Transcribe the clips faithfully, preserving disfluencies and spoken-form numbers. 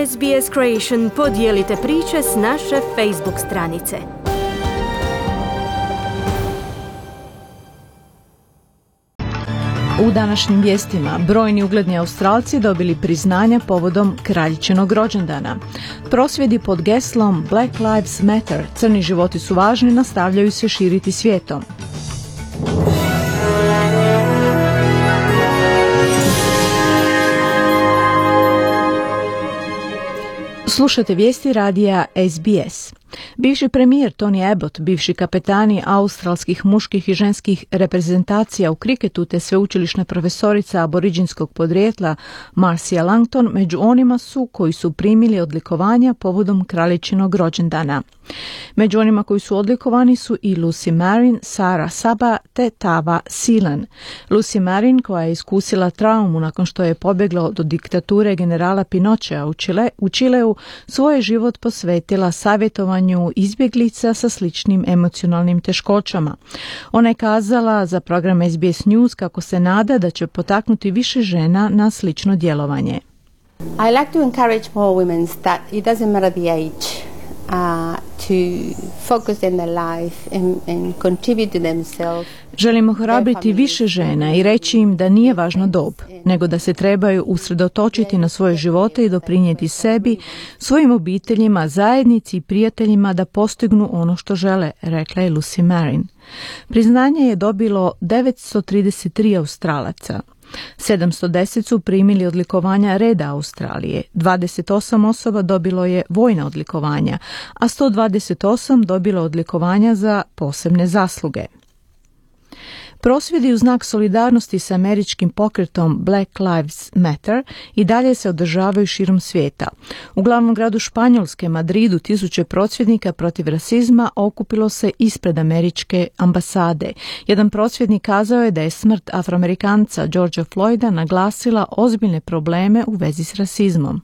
S B S Creation podijelite priče s naše Facebook stranice. U današnjim vijestima brojni ugledni Australci dobili priznanja povodom kraljičinog rođendana. Prosvjedi pod geslom Black Lives Matter, crni životi su važni, nastavljaju se širiti svijetom. Slušate vijesti radija S B S. Bivši premijer Tony Abbott, bivši kapetani australskih muških i ženskih reprezentacija u kriketu te sveučilišna profesorica aboriđinskog podrijetla Marcia Langton među onima su koji su primili odlikovanja povodom kraljičinog rođendana. Među onima koji su odlikovani su i Lucy Marin, Sarah Saba te Tava Sealan. Lucy Marin, koja je iskusila traumu nakon što je pobjegla do diktature generala Pinochea u, Čile, u Čileu, svoj život posvetila savjetovanju izbjeglica sa sličnim emocionalnim teškoćama. Ona je kazala za program S B S News kako se nada da će potaknuti više žena na slično djelovanje. I like to encourage more women that it doesn't matter the age. Uh, to focus in their life and, and contribute to themselves. Želimo ohrabriti više žena i reći im da nije važna dob, nego da se trebaju usredotočiti na svoje živote i doprinijeti sebi, svojim obiteljima, zajednici i prijateljima da postignu ono što žele, rekla je Lucy Marin. Priznanje je dobilo devetsto trideset tri Australaca. sedamsto deset su primili odlikovanja Reda Australije, dvadeset osam osoba dobilo je vojna odlikovanja, a sto dvadeset osam dobilo odlikovanja za posebne zasluge. Prosvjedi u znak solidarnosti s američkim pokretom Black Lives Matter i dalje se održavaju širom svijeta. U glavnom gradu Španjolske, Madridu, tisuće prosvjednika protiv rasizma okupilo se ispred američke ambasade. Jedan prosvjednik kazao je da je smrt Afroamerikanca Georgea Floyda naglasila ozbiljne probleme u vezi s rasizmom.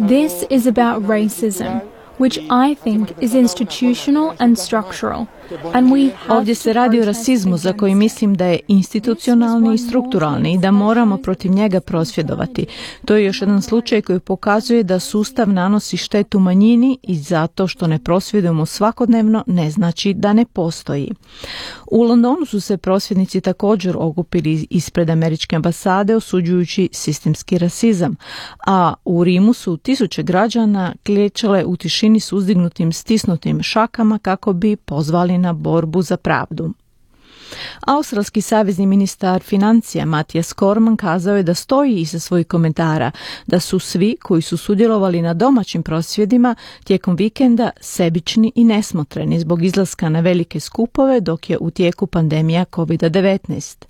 This is about racism, which I think is institutional and structural. And we Ovdje se radi o rasizmu za koji mislim da je institucionalni i strukturalni i da moramo protiv njega prosvjedovati. To je još jedan slučaj koji pokazuje da sustav nanosi štetu manjini i zato što ne prosvjedujemo svakodnevno ne znači da ne postoji. U Londonu su se prosvjednici također okupili ispred američke ambasade osuđujući sistemski rasizam, a u Rimu su tisuće građana klečale u tišini s uzdignutim stisnutim šakama kako bi pozvali na borbu za pravdu. Australski savezni ministar financija Mathias Cormann kazao je da stoji iza svojih komentara, da su svi koji su sudjelovali na domaćim prosvjedima tijekom vikenda sebični i nesmotreni zbog izlaska na velike skupove dok je u tijeku pandemija kovid devetnaest.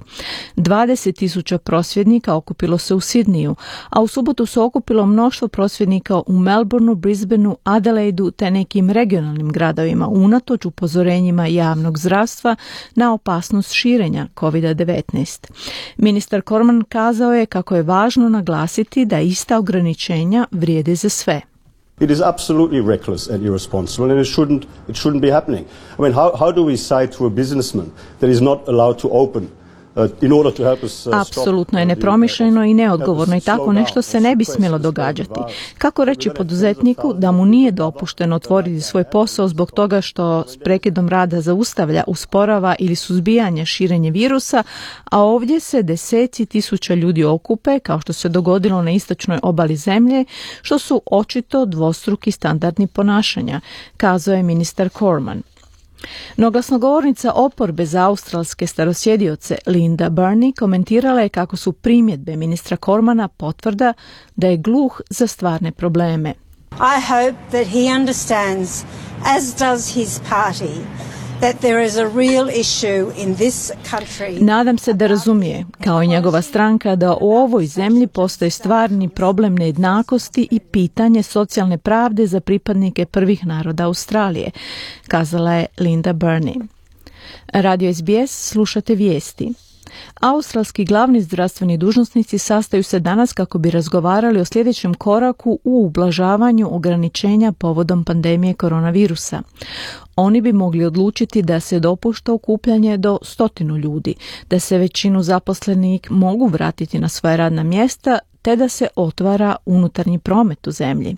dvadeset tisuća prosvjednika okupilo se u Sidniju, a u subotu se okupilo mnoštvo prosvjednika u Melbourneu, Brisbaneu, Adelaidu te nekim regionalnim gradovima unatoč upozorenjima javnog zdravstva na opasnost širenja kovid devetnaest. Ministar Cormann kazao je kako je važno naglasiti da ista ograničenja vrijede za sve. It is absolutely reckless and irresponsible and it shouldn't, it shouldn't be happening. I mean, how, how do we say to a businessman that is not allowed to open Apsolutno je nepromišljeno i neodgovorno i tako nešto se ne bi smjelo događati. Kako reći poduzetniku da mu nije dopušteno otvoriti svoj posao zbog toga što s prekidom rada zaustavlja, usporava ili suzbijanje širenje virusa, a ovdje se deseci tisuća ljudi okupe, kao što se dogodilo na istočnoj obali zemlje, što su očito dvostruki standardni ponašanja, kazao je ministar Cormann. No glasnogovornica oporbe za australske starosjedioce Linda Burney komentirala je kako su primjedbe ministra Cormana potvrda da je gluh za stvarne probleme. I hope that he understands, as does his party, that there is a real issue in this country. Nadam se da razumije, kao i njegova stranka, da u ovoj zemlji postoji stvarni problem nejednakosti i pitanje socijalne pravde za pripadnike prvih naroda Australije, kazala je Linda Burney. Radio S B S, slušate vijesti. Australski glavni zdravstveni dužnosnici sastaju se danas kako bi razgovarali o sljedećem koraku u ublažavanju ograničenja povodom pandemije koronavirusa. Oni bi mogli odlučiti da se dopušta okupljanje do stotinu ljudi, da se većinu zaposlenih mogu vratiti na svoja radna mjesta, te da se otvara unutarnji promet u zemlji.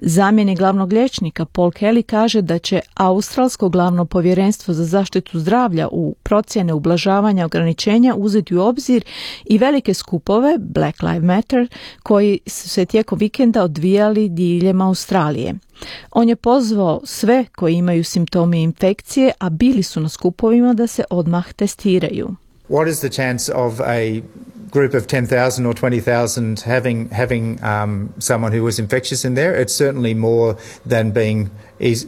Zamjenik glavnog liječnika Paul Kelly kaže da će Australsko glavno povjerenstvo za zaštitu zdravlja u procjene ublažavanja ograničenja uzeti u obzir i velike skupove Black Lives Matter koji su se tijekom vikenda odvijali diljem Australije. On je pozvao sve koji imaju simptome infekcije, a bili su na skupovima, da se odmah testiraju. What is the chance of a group of ten thousand or twenty thousand having having um, someone who was infectious in there? It's certainly more than being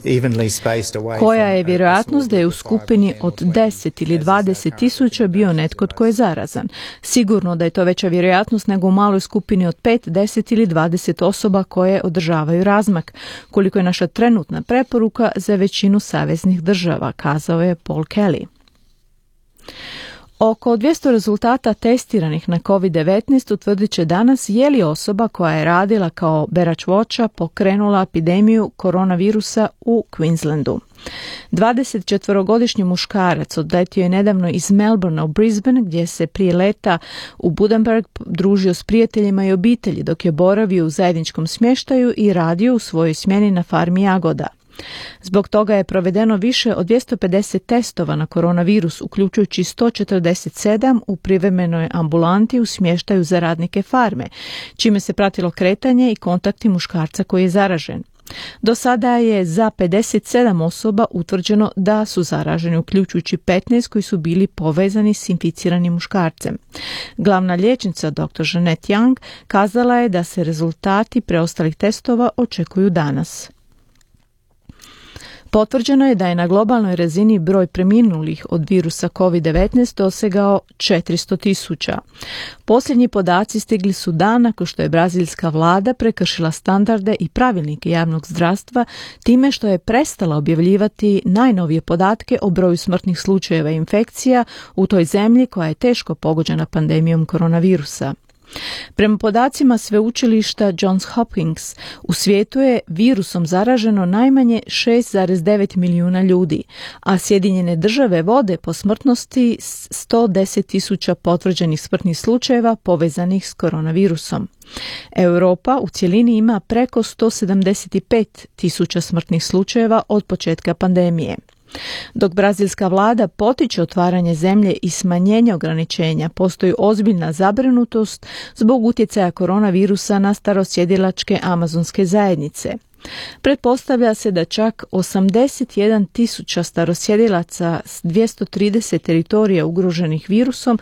evenly spaced away. Koja je vjerojatnost da je u skupini od deset ili dvadeset tisuća bio netko tko je zarazan? Sigurno da je to veća vjerojatnost nego u maloj skupini od pet, deset ili dvadeset osoba koje održavaju razmak, koliko je naša trenutna preporuka za većinu saveznih država, kazao je Paul Kelly. Oko dvjesto rezultata testiranih na kovid devetnaest utvrdit će danas je li osoba koja je radila kao berač voća pokrenula epidemiju koronavirusa u Queenslandu. dvadesetčetvorogodišnji muškarac odletio je nedavno iz Melbournea u Brisbane, gdje se prije leta u Budenberg družio s prijateljima i obitelji dok je boravio u zajedničkom smještaju i radio u svojoj smjeni na farmi jagoda. Zbog toga je provedeno više od dvjesto pedeset testova na koronavirus, uključujući sto četrdeset sedam u privremenoj ambulanti u smještaju za radnike farme, čime se pratilo kretanje i kontakti muškarca koji je zaražen. Do sada je za pedeset sedam osoba utvrđeno da su zaraženi, uključujući petnaest koji su bili povezani s inficiranim muškarcem. Glavna liječnica doktor Jeanette Young kazala je da se rezultati preostalih testova očekuju danas. Potvrđeno je da je na globalnoj razini broj preminulih od virusa kovid devetnaest dosegao četiristo tisuća. Posljednji podaci stigli su dan nakon što je brazilska vlada prekršila standarde i pravilnike javnog zdravstva time što je prestala objavljivati najnovije podatke o broju smrtnih slučajeva infekcija u toj zemlji koja je teško pogođena pandemijom koronavirusa. Prema podacima sveučilišta Johns Hopkins, u svijetu je virusom zaraženo najmanje šest zarez devet milijuna ljudi, a Sjedinjene države vode po smrtnosti sto deset tisuća potvrđenih smrtnih slučajeva povezanih s koronavirusom. Europa u cjelini ima preko sto sedamdeset pet tisuća smrtnih slučajeva od početka pandemije. Dok brazilska vlada potiče otvaranje zemlje i smanjenje ograničenja, postoji ozbiljna zabrinutost zbog utjecaja koronavirusa na starosjedilačke amazonske zajednice. Pretpostavlja se da čak osamdeset jedan tisuća starosjedilaca s dvjesto trideset teritorija ugroženih virusom,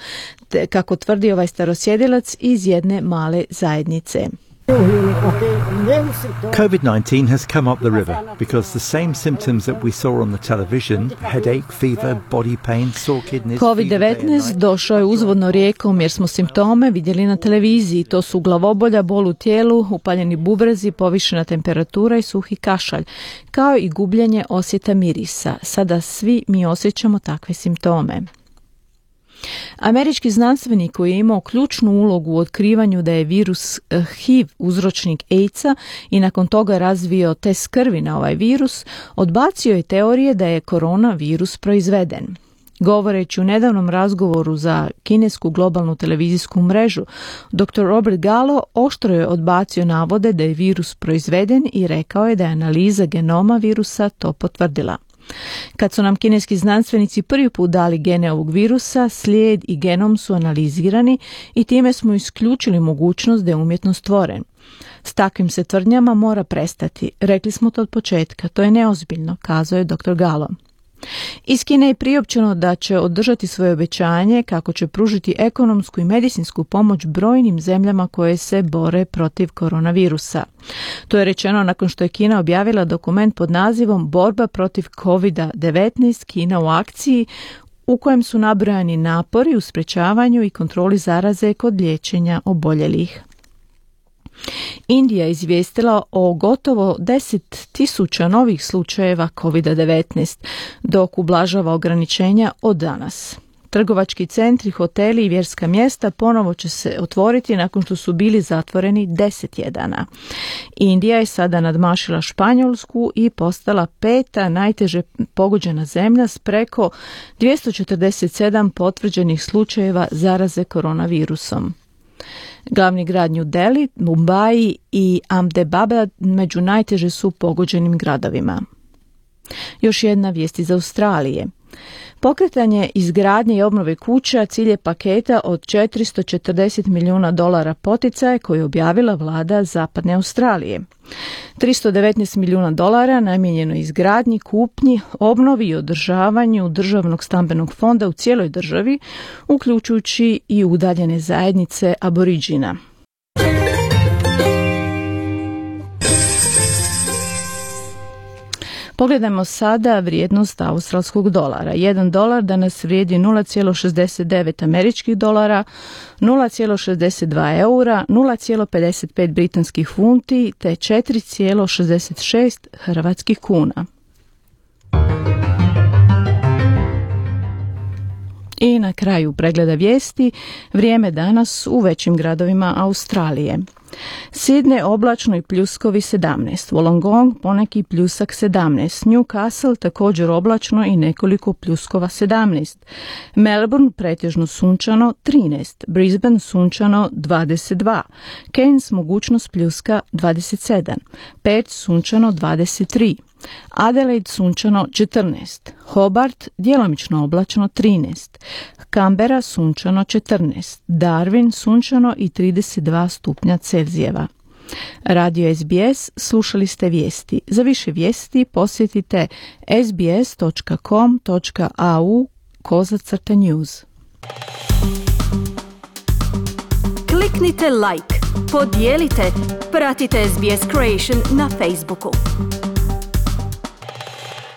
te, kako tvrdi ovaj starosjedilac iz jedne male zajednice. covid nineteen has come up the river because the same symptoms that we saw on the television, headache, fever, body pain, sore kidneys. kovid devetnaest došao je uzvodno rijekom jer smo simptome vidjeli na televiziji. To su glavobolja, bol u tijelu, upaljeni bubrezi, povišena temperatura i suhi kašalj, kao i gubljenje osjeta mirisa. Sada svi mi osjećamo takve simptome. Američki znanstvenik koji je imao ključnu ulogu u otkrivanju da je virus H I V uzročnik AIDS-a i nakon toga razvio test krvi na ovaj virus, odbacio je teorije da je koronavirus proizveden. Govoreći u nedavnom razgovoru za kinesku globalnu televizijsku mrežu, doktor Robert Gallo oštro je odbacio navode da je virus proizveden i rekao je da je analiza genoma virusa to potvrdila. Kad su nam kineski znanstvenici prvi put dali gene ovog virusa, slijed i genom su analizirani i time smo isključili mogućnost da je umjetno stvoren. S takvim se tvrdnjama mora prestati. Rekli smo to od početka, to je neozbiljno, kazao je doktor Gallo. Iz Kine je priopćeno da će održati svoje obećanje kako će pružiti ekonomsku i medicinsku pomoć brojnim zemljama koje se bore protiv koronavirusa. To je rečeno nakon što je Kina objavila dokument pod nazivom Borba protiv kovid devetnaest Kina u akciji, u kojem su nabrojani napori u sprečavanju i kontroli zaraze kod liječenja oboljelih. Indija je izvijestila o gotovo deset tisuća novih slučajeva kovid devetnaest, dok ublažava ograničenja od danas. Trgovački centri, hoteli i vjerska mjesta ponovo će se otvoriti nakon što su bili zatvoreni deset tjedana. Indija je sada nadmašila Španjolsku i postala peta najteže pogođena zemlja s preko dvjesto četrdeset sedam potvrđenih slučajeva zaraze koronavirusom. Glavni grad New Delhi, Mumbai i Ahmedabad među najteže su pogođenim gradovima. Još jedna vijest iz Australije. Pokretanje izgradnje i obnove kuća cilj je paketa od četiristo četrdeset milijuna dolara poticaja koji je objavila vlada Zapadne Australije. tristo devetnaest milijuna dolara namijenjeno izgradnji, kupnji, obnovi i održavanju državnog stambenog fonda u cijeloj državi, uključujući i udaljene zajednice Aboriđina. Pogledajmo sada vrijednost australskog dolara. Jedan dolar danas vrijedi nula zarez šezdeset devet američkih dolara, nula zarez šezdeset dva eura, nula zarez pedeset pet britanskih funti te četiri zarez šezdeset šest hrvatskih kuna. I na kraju pregleda vijesti, vrijeme danas u većim gradovima Australije. Sidney oblačno i pljuskovi sedamnaest, Wollongong poneki pljusak sedamnaest, Newcastle također oblačno i nekoliko pljuskova sedamnaest, Melbourne pretežno sunčano trinaest, Brisbane sunčano dvadeset dva, Cairns mogućnost pljuska dvadeset sedam, Perth sunčano dvadeset tri, Adelaide sunčano četrnaest, Hobart djelomično oblačno trinaest, Canberra sunčano četrnaest, Darwin sunčano i trideset dva stupnja Celzijeva. Radio S B S, slušali ste vijesti. Za više vijesti posjetite sbs točka com točka a u kozacrta news. Kliknite like, podijelite, pratite S B S Creation na Facebooku.